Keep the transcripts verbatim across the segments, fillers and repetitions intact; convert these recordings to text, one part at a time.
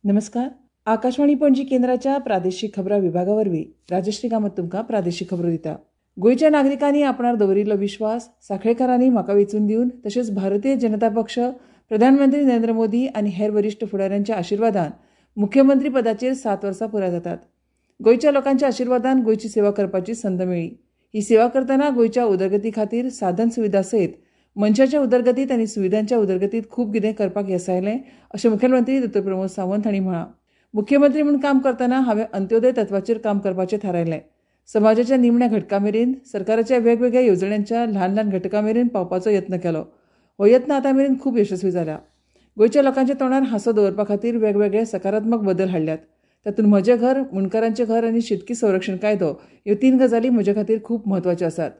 नमस्कार. आकाशवाणी पणजी केंद्राच्या प्रादेशीक खबरां विभागा वरवीं राजश्री कामत तुमकां प्रादेशीक खबरो दिता. गोंयच्या नागरिकांनी आपणार दवरिल्लो विश्वास साखळेकारांनी म्हाका वेंचून दिवन तशेंच भारतीय जनता पक्ष, प्रधानमंत्री नरेंद्र मोदी आनी हेर वरिश्ठ फुडाऱ्यांच्या आशिर्वादान मुख्यमंत्री पदाचेर सात वर्सां पुराय जातात. गोंयच्या लोकांच्या आशिर्वादान गोंयची सेवा करपाची संद मेळ्ळी. ही सेवा करतना गोंयच्या उदरगती खातीर साधन सुविधा सयत मनशाच्या उदरगतीत आनी सुविधांच्या उदरगतीत खूब कितें करपाक येस आयलें अशें मुखेलमंत्री दोतोर प्रमोद सावंत हांणी म्हळां. मुख्यमंत्री म्हूण काम करतना हांवें अंत्योदय तत्वाचेर काम करपाचें थारायलें. समाजाच्या निमण्या घटका मेरेन सरकाराच्या वेगवेगळ्या येवजण्यांच्या ल्हान ल्हान घटकां मेरेन पावपाचो यत्न केलो. हो यत्न आतां मेरेन खूब यशस्वी जाला. गोंयच्या लोकांच्या तोंडार हांसो दवरपा खातीर वेगवेगळे सकारात्मक बदल हाडल्यात. तातूंत म्हजें घर, मुंडकारांचें घर आनी शेतकी संरक्षण कायदो ह्यो तीन गजाली म्हजे खातीर खूब म्हत्वाच्यो आसात.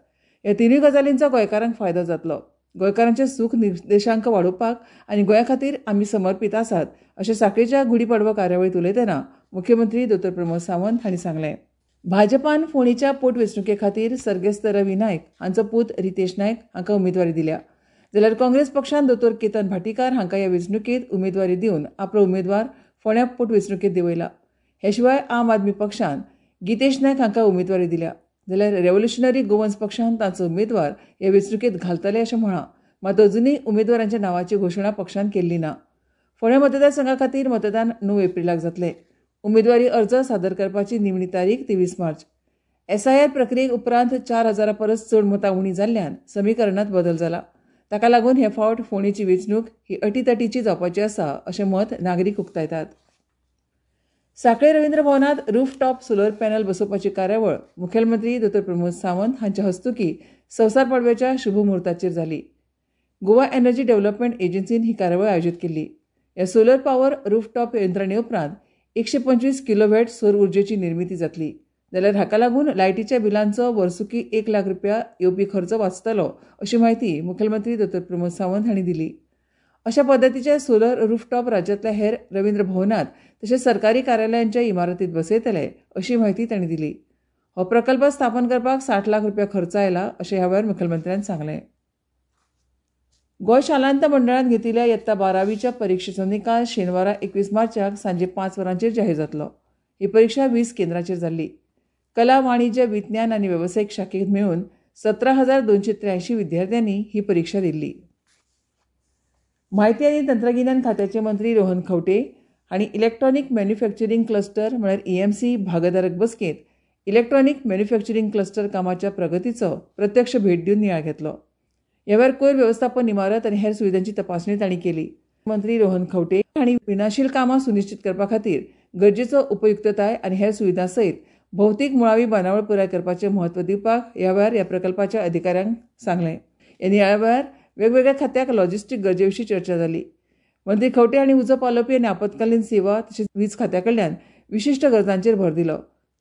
ह्या तिनूय गजालींचो गोंयकारांक फायदो जातलो. गोंयकारांचे सूख निर्देशांक वाडोवपाक आनी गोंया खातीर आमी समर्पीत आसात अशें साखळेच्या गुढीपाडवा कार्यावळींत उलयतना मुख्यमंत्री दोतोर प्रमोद सावंत हांणी सांगलें. भाजपान फोंडेच्या पोटवेंचणुके खातीर सर्गेस्त रवी नायक हांचो पूत रितेश नायक हांकां उमेदवारी दिल्या, जाल्यार काँग्रेस पक्षान दोतोर केतन भाटीकार हांकां ह्या वेंचणुकेंत उमेदवारी दिवन आपलो उमेदवार फोंड्या पोटवेंचणुकेंत देंवयला. हे शिवाय आम आदमी पक्षान गितेश नायक हांकां उमेदवारी दिल्या, जाल्यार रेव्होल्युशनरी गोवन्स पक्षान तांचो उमेदवार ह्या वेंचणुकेंत घालतले अशें म्हळां. मात अजुनूय उमेदवारांच्या नांवाची घोशणा पक्षान केल्ली ना. फोंड्या मतदारसंघा खातीर मतदान णव एप्रिलाक जातलें. उमेदवारी अर्ज सादर करपाची निमणी तारीख तेवीस मार्च. एसआयआर प्रक्रिये उपरांत चार हजारा परस चड मतां उणी जाल्ल्यान समीकरणांत बदल जाला. ताका लागून हे फावट फोंडेची वेंचणूक ही अटीतटीची जावपाची आसा अशें मत नागरीक उक्तायतात. साखळे रवींद्र भवनांत रूफटॉप सोलर पॅनल बसोवपाची कार्यावळ मुखेलमंत्री दोतोर प्रमोद सावंत हांच्या हस्तुकीं संवसार पाडव्याच्या शुभमुहूर्ताचेर जाली. गोवा एनर्जी डेव्हलपमेंट एजन्सीन ही कार्यावळ आयोजीत केल्ली. ह्या सोलर पॉवर रूफटॉप यंत्रणे उपरांत एकशे पंचवीस किलोवॅट सौर उर्जेची निर्मिती जातली, जाल्यार हाका लागून लायटीच्या बिलांचो वर्सुकी एक लाख रुपया येवपी खर्च वाचतलो अशी म्हायती मुखेलमंत्री दोतोर प्रमोद सावंत हांणी दिली. अशा पद्दतीचे सोलर रूफटॉप राज्यांतल्या हेर रवींद्र भवनांत तशेंच सरकारी कार्यालयांच्या इमारतींत बसयतले अशी म्हायती तांणी दिली. हो प्रकल्प स्थापन करपाक साठ लाख रुपया खर्च आयला अशें ह्या वेळार मुखेलमंत्र्यान सांगलें. गोंय शालांत मंडळान घेतिल्ल्या यत्ता बारावीच्या परिक्षेचो निकाल शेनवारा एकवीस मार्चाक सांजे पांच वरांचेर जाहीर जातलो. ही परिक्षा वीस केंद्रांचेर जाल्ली. कला, वाणिज्य, विज्ञान आनी वेवसायीक शाखेत मेळून सतरा हजार दोनशे त्र्याऐंशी विद्यार्थ्यांनी ही परिक्षा दिल्ली. म्हायती आनी तंत्रगिन्यान खात्याचे मंत्री रोहन खंवटे हांणी इलेक्ट्रॉनिक मॅन्युफॅक्चरींग क्लस्टर म्हळ्यार ईएमसी भागधारक बसकेंत इलेक्ट्रॉनिक मॅन्युफॅक्चरींग क्लस्टर कामाच्या प्रगतीचो प्रत्यक्ष भेट दिवन नियाळ घेतलो. ह्या वेळार कोयर वेवस्थापन इमारत आनी हेर सुविधांची तपासणी तांणी केली. मंत्री रोहन खंवटे हांणी विनाशील कामां सुनिश्चित करपा खातीर गरजेचो उपयुक्तताय आनी हेर सुविधां सयत भौतीक मुळावी बांदावळ पुराय करपाचें म्हत्व दिवपाक ह्या वेळार ह्या प्रकल्पाच्या अधिकाऱ्यांक सांगलें. ह्या नियाळा वेळार वेगवेगळ्या खात्याक लॉजिस्टीक गरजे विशीं चर्चा जाली. मंत्री खंवटे हांणी उजो पालोवपी आनी आपत्कालीन सेवा तशेंच वीज खात्या कडल्यान विशिश्ट गरजांचेर भर दिलो.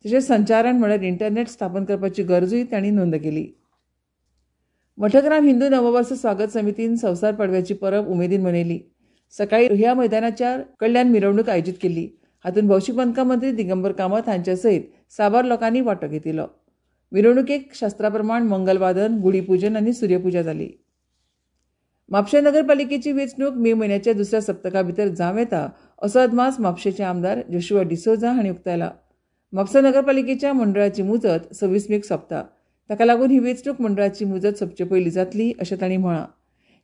तशेंच संचारण म्हळ्यार इंटरनेट स्थापन करपाची गरजूय तांणी नोंद केली. मठग्राम हिंदू नववर्स स्वागत समितीन संवसार पाडव्याची परब उमेदीन मनयली. सकाळी ह्या मैदानाच्या कडल्यान मिरवणूक आयोजीत केल्ली. हातूंत भौशीक बांदकाम मंत्री दिगंबर कामत हांच्या सयत साबार लोकांनी वांटो घेतिल्लो. मिरवणुकेक शास्त्रा प्रमाण मंगलवादन, गुढीपूजन आनी सूर्यपुजा जाली. म्हापशें नगरपालिकेची वेंचणूक मे म्हयन्याच्या दुसऱ्या सप्तका भितर जावं येता असो अदमास म्हापशेंचे आमदार जोशुआ डिसोझा हांणी उक्तायला. म्हापसा नगरपालिकेच्या मंडळाची मुजत सव्वीस मेक सोंपता. ताका लागून ही वेंचणूक मंडळाची मुजत सोंपचे पयलीं जातली अशें तांणी म्हळां.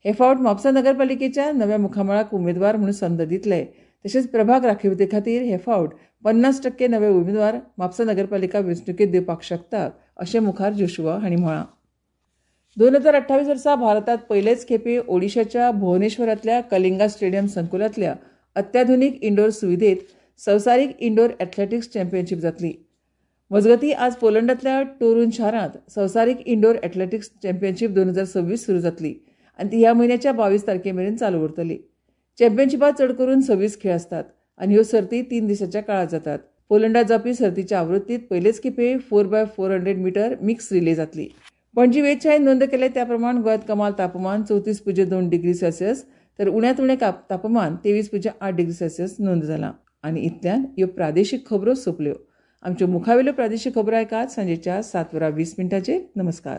हे फावट म्हापसा नगरपालिकेच्या नव्या मुखामळाक उमेदवार म्हणून संद दितले. तशेंच प्रभाग राखीवते खातीर हे फावट पन्नास टक्के नवे उमेदवार म्हापसा नगरपालिका वेंचणुकेंत दिवपाक शकतात अशें मुखार जोशुआ हांणी म्हळां. दोन हजार अठ्ठावीस वर्सा भारतांत पयलेच खेपे ओडिशाच्या भुवनेश्वरांतल्या कलिंगा स्टेडियम संकुलांतल्या अत्याधुनीक इंडोर सुविधेत संवसारीक इंडोर एथलेटिक्स चॅम्पियनशीप जातली. मजगतीं आज पोलंडांतल्या टोरून शारांत संवसारीक इंडोर एथलेटिक्स चॅम्पियनशीप दोन हजार सव्वीस सुरू जातली आनी ती ह्या म्हयन्याच्या बावीस तारखे मेरेन चालू उरतली. चॅम्पियनशिपांत चड करून सव्वीस खेळ आसतात आनी ह्यो सर्ती तीन दिसांच्या काळांत जातात. पोलंडात जावपी सर्तीच्या आवृत्तीत पयलेच खेपे four by four hundred metre mix relay जातली. पणजी वेधशाळेन नोंद केले त्या प्रमाण गोंयांत कमाल तापमान चवतीस पुज्य दोन डिग्री सेल्सियस तर उण्यांत उणें तापमान तेवीस पुज्य आठ डिग्री सेल्सियस नोंद जालां. आनी इतल्यान ह्यो प्रादेशीक खबरो सोंपल्यो. आमच्यो मुखावेल्यो प्रादेशीक खबरो आयकात सांजेच्या सात वरां वीस मिनटांचेर. नमस्कार.